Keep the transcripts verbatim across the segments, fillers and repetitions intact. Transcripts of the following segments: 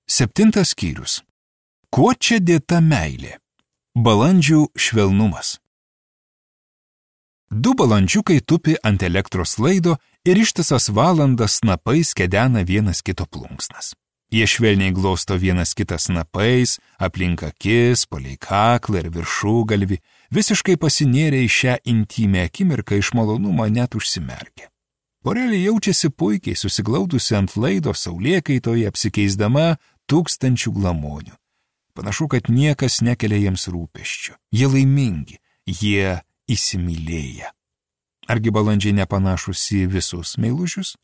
Septintas skyrius. Kuo čia dėta meilė? Balandžių švelnumas. Du balandžiukai tupi ant elektros laido ir ištisas valandas snapais kedena vienas kito plunksnas. Jie švelniai glosto vienas kitas snapais, aplink akis, palei kaklą ir viršugalvį, visiškai pasinėrė į šią intimę akimirką iš malonumo net užsimerkė. Porelė jaučiasi puikiai susiglaudusi ant laido saulėkaitoje, apsikeisdama tūkstančių glamonių. Panašu, kad niekas nekelia jiems rūpesčių. Jie laimingi, jie įsimylėję. Argi balandžiai nepanašus į visus meilužius?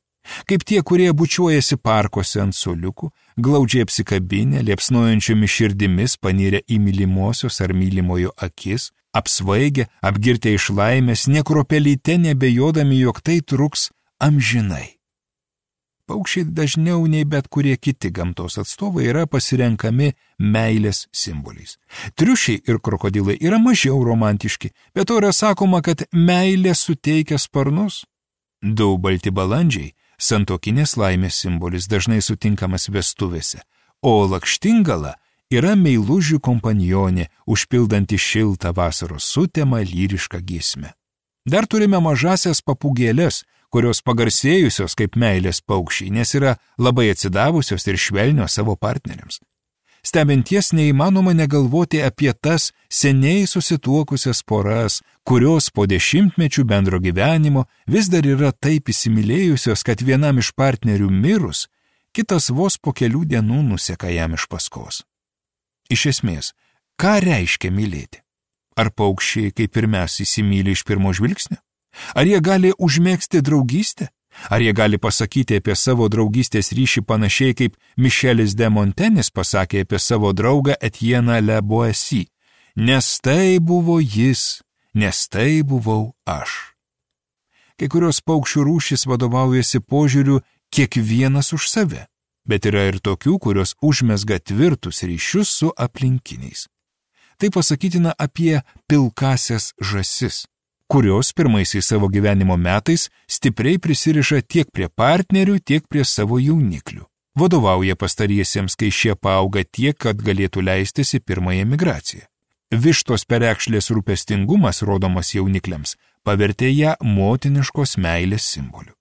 Kaip tie, kurie bučiuojasi parkuose ant suoliukų, glaudžiai apsikabinę, liepsnojančiomis širdimis panirę į mylimosios ar mylimojo akis, apsvaigę, apgirtę iš laimės, nė kruopelyte nebejodami, jog tai truks amžinai. Paukščiai dažniau nei bet kurie kiti gamtos atstovai yra pasirenkami meilės simboliais. Triušiai ir krokodilai yra mažiau romantiški, bet to yra sakoma, kad meilė suteikia sparnus. Du balti balandžiai – santuokinės laimės simbolis, dažnai sutinkamas vestuvėse, o lakštingala yra meilužių kompanionė, užpildanti šiltą vasaros sutemą lyrišką giesmę. Dar turime mažasias papūgėles, kurios pagarsėjusios kaip meilės paukščiai, nes yra labai atsidavusios ir švelnios savo partneriams. Stebinties neįmanoma negalvoti apie tas seniai susituokusias poras, kurios po dešimtmečių bendro gyvenimo vis dar yra taip įsimylėjusios, kad vienam iš partnerių mirus, kitas vos po kelių dienų nuseka jam iš paskos. Iš esmės, ką reiškia mylėti? Ar paukščiai, kaip ir mes, įsimyli iš pirmo žvilgsnio? Ar jie gali užmėgsti draugystę? Ar jie gali pasakyti apie savo draugystės ryšį panašiai kaip Mišelis de Montenis pasakė apie savo draugą Etieną Le Boissy? Nes tai buvo jis, nes tai buvau aš. Kai kurios paukščių rūšys vadovaujasi požiūriu kiekvienas už save, bet yra ir tokių, kurios užmezga tvirtus ryšius su aplinkiniais. Tai pasakytina apie pilkąsias žąsis, kurios pirmaisiais savo gyvenimo metais stipriai prisiriša tiek prie partnerių, tiek prie savo jauniklių. Vadovauja pastariesiems, kai šie paauga tiek, kad galėtų leistis į pirmąją migraciją. Vištos perekšlės rūpestingumas, rodomas jaunikliams, pavertė ją motiniškos meilės simboliu.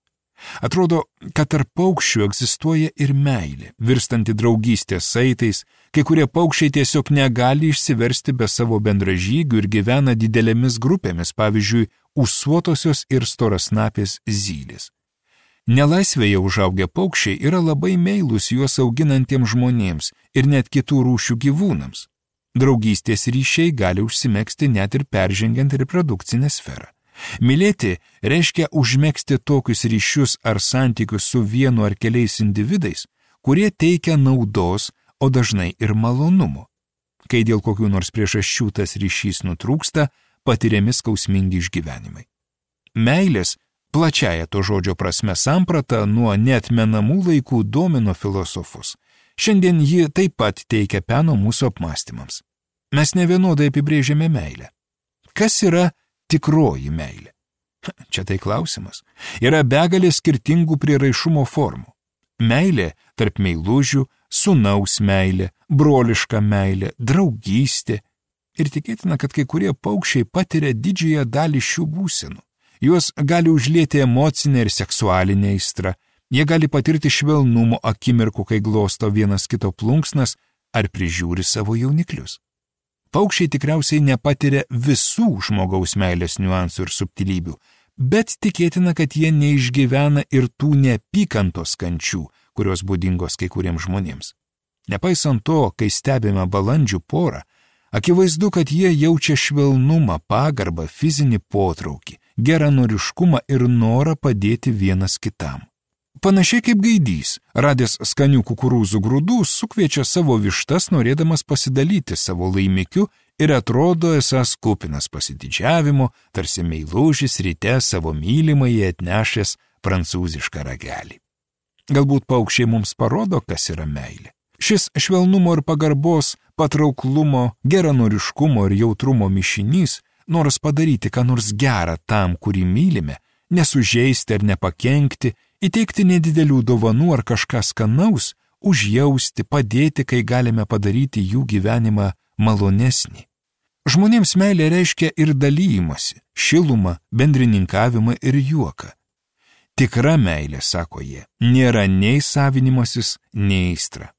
Atrodo, kad tarp paukščių egzistuoja ir meilė, virstanti draugystės saitais, kai kurie paukščiai tiesiog negali išsiversti be savo bendražygių ir gyvena didelėmis grupėmis, pavyzdžiui, ūsuotosios ir storasnapės zylės. Nelaisvėje užaugę paukščiai yra labai meilūs juos auginantiems žmonėms ir net kitų rūšių gyvūnams. Draugystės ryšiai gali užsimegzti net ir peržengiant reprodukcinę sferą. Mylėti reiškia užmegzti tokius ryšius ar santykius su vienu ar keliais individais, kurie teikia naudos, o dažnai ir malonumo. Kai dėl kokių nors priežasčių tas ryšys nutrūksta, patiriami skausmingi išgyvenimai. Meilės, plačiaja to žodžio prasme samprata, nuo neatmenamų laikų domino filosofus. Šiandien ji taip pat teikia peno mūsų apmąstymams. Mes nevienodai apibrėžiame meilę. Kas yra tikroji meilė? Čia tai klausimas. Yra begalė skirtingų prieraišumo formų. Meilė tarp meilužių, sūnaus meilė, broliška meilė, draugystė. Ir tikėtina, kad kai kurie paukščiai patiria didžiąją dalį šių būsenų. Juos gali užlieti emocinė ir seksualinė aistra. Jie gali patirti švelnumo akimirkų, kai glosto vienas kito plunksnas ar prižiūri savo jauniklius. Paukščiai tikriausiai nepatiria visų žmogaus meilės niuansų ir subtilybių, bet tikėtina, kad jie neišgyvena ir tų neapykantos kančių, kurios būdingos kai kuriems žmonėms. Nepaisant to, kai stebime balandžių porą, akivaizdu, kad jie jaučia švelnumą, pagarbą, fizinį potraukį, geranoriškumą ir norą padėti vienas kitam. Panašiai kaip gaidys, radęs skanių kukurūzų grūdų, sukviečia savo vištas, norėdamas pasidalyti savo laimikiu ir atrodo esąs kupinas pasididžiavimo, tarsi meilužis ryte savo mylimai atnešęs prancūzišką ragelį. Galbūt paukščiai mums parodo, kas yra meilė. Šis švelnumo ir pagarbos, patrauklumo, geranoriškumo ir jautrumo mišinys, noras padaryti ką nors gerą tam, kurį mylime, nesužeisti ar nepakenkti, įteikti nedidelių dovanų ar kažką skanaus, užjausti, padėti, kai galime padaryti jų gyvenimą malonesnį. Žmonėms meilė reiškia ir dalymasi, šilumą, bendrininkavimą ir juoką. Tikra meilė, sako jie, nėra nei savinimasis, nei aistra.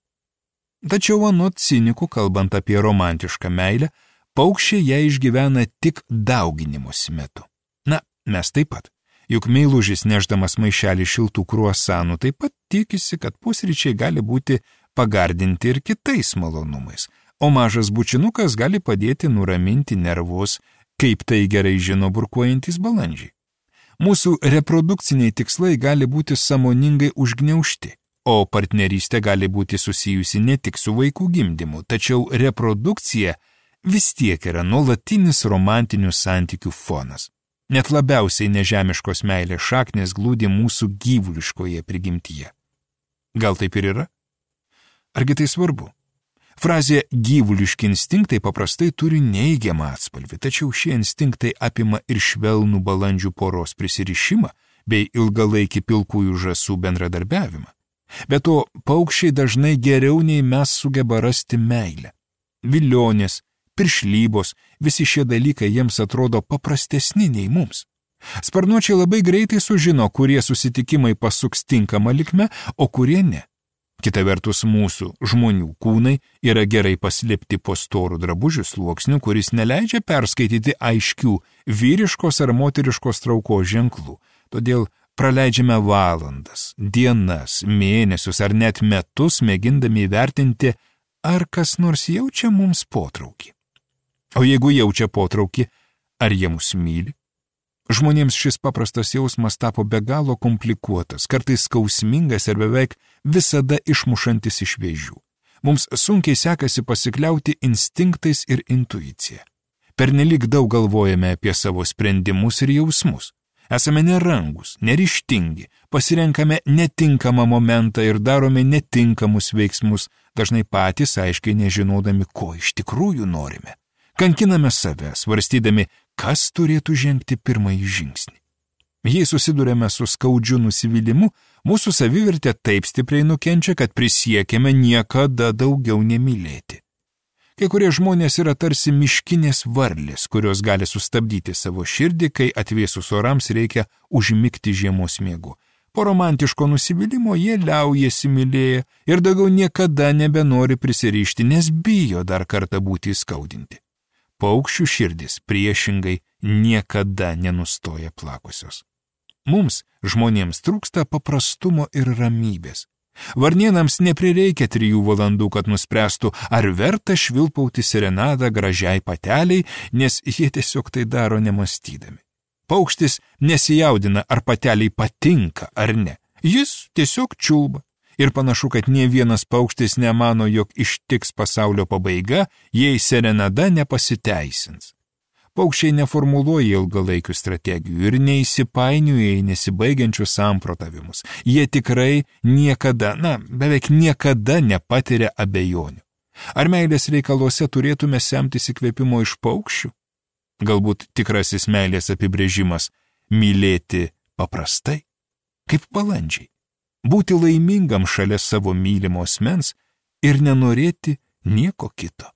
Tačiau anot cinikų, kalbant apie romantišką meilę, paukščiai ją išgyvena tik dauginimosi metu. Na, mes taip pat. Juk meilužis nešdamas maišelį šiltų kruasanų taip pat tikisi, kad pusryčiai gali būti pagardinti ir kitais malonumais, o mažas bučinukas gali padėti nuraminti nervus, kaip tai gerai žino burkuojantys balandžiai. Mūsų reprodukciniai tikslai gali būti sąmoningai užgniaužti, o partnerystė gali būti susijusi ne tik su vaikų gimdymu, tačiau reprodukcija vis tiek yra nuolatinis romantinių santykių fonas. Net labiausiai nežemiškos meilės šaknės glūdi mūsų gyvuliškoje prigimtyje. Gal taip ir yra? Argi tai svarbu? Frazė gyvuliški instinktai paprastai turi neigiamą atspalvį, tačiau šie instinktai apima ir švelnų balandžių poros prisirišimą bei ilgalaikį pilkųjų žąsų bendradarbiavimą. Be to, paukščiai dažnai geriau nei mes sugeba rasti meilę. Vilionės, piršlybos, visi šie dalykai jiems atrodo paprastesni nei mums. Sparnuočiai labai greitai sužino, kurie susitikimai pasuks tinkamą linkme, o kurie ne. Kita vertus, mūsų žmonių kūnai yra gerai paslėpti po storų drabužių sluoksnių, kuris neleidžia perskaityti aiškių vyriškos ar moteriškos traukos ženklų. Todėl praleidžiame valandas, dienas, mėnesius ar net metus mėgindami įvertinti, ar kas nors jaučia mums potraukį. O jeigu jaučia potraukį, ar jie mus myli? Žmonėms šis paprastas jausmas tapo be galo komplikuotas, kartais skausmingas ir beveik visada išmušantis iš vėžių. Mums sunkiai sekasi pasikliauti instinktais ir intuicija. Pernelyg daug galvojame apie savo sprendimus ir jausmus. Esame nerangus, neryžtingi, pasirenkame netinkamą momentą ir darome netinkamus veiksmus, dažnai patys aiškiai nežinodami, ko iš tikrųjų norime. Kankiname save, svarstydami, kas turėtų žengti pirmąjį žingsnį. Jei susidurėme su skaudžiu nusivylimu, mūsų savivertė taip stipriai nukenčia, kad prisiekėme niekada daugiau nemylėti. Kai kurie žmonės yra tarsi miškinės varlės, kurios gali sustabdyti savo širdį, kai atvėsus orams reikia užmigti žiemos miegu. Po romantiško nusivylimo jie liaujasi mylėję ir daugiau niekada nebenori prisirišti, nes bijo dar kartą būti įskaudinti. Paukščių širdis priešingai niekada nenustoja plakusios. Mums, žmonėms, trūksta paprastumo ir ramybės. Varnėnams neprireikia trijų valandų, kad nuspręstų, ar verta švilpauti serenadą gražiai pateliai, nes jie tiesiog tai daro nemastydami. Paukštis nesijaudina, ar pateliai patinka ar ne. Jis tiesiog čiulba. Ir panašu, kad nė vienas paukštis nemano, jog ištiks pasaulio pabaiga, jei serenada nepasiteisins. Paukščiai neformuluoja ilgalaikių strategijų ir neįsipainioja į nesibaigiančius samprotavimus. Jie tikrai niekada, na, beveik niekada nepatiria abejonių. Ar meilės reikaluose turėtume semtis įkvėpimo iš paukščių? Galbūt tikrasis meilės apibrėžimas – mylėti paprastai, kaip balandžiai. Būti laimingam šalia savo mylimo asmens ir nenorėti nieko kito.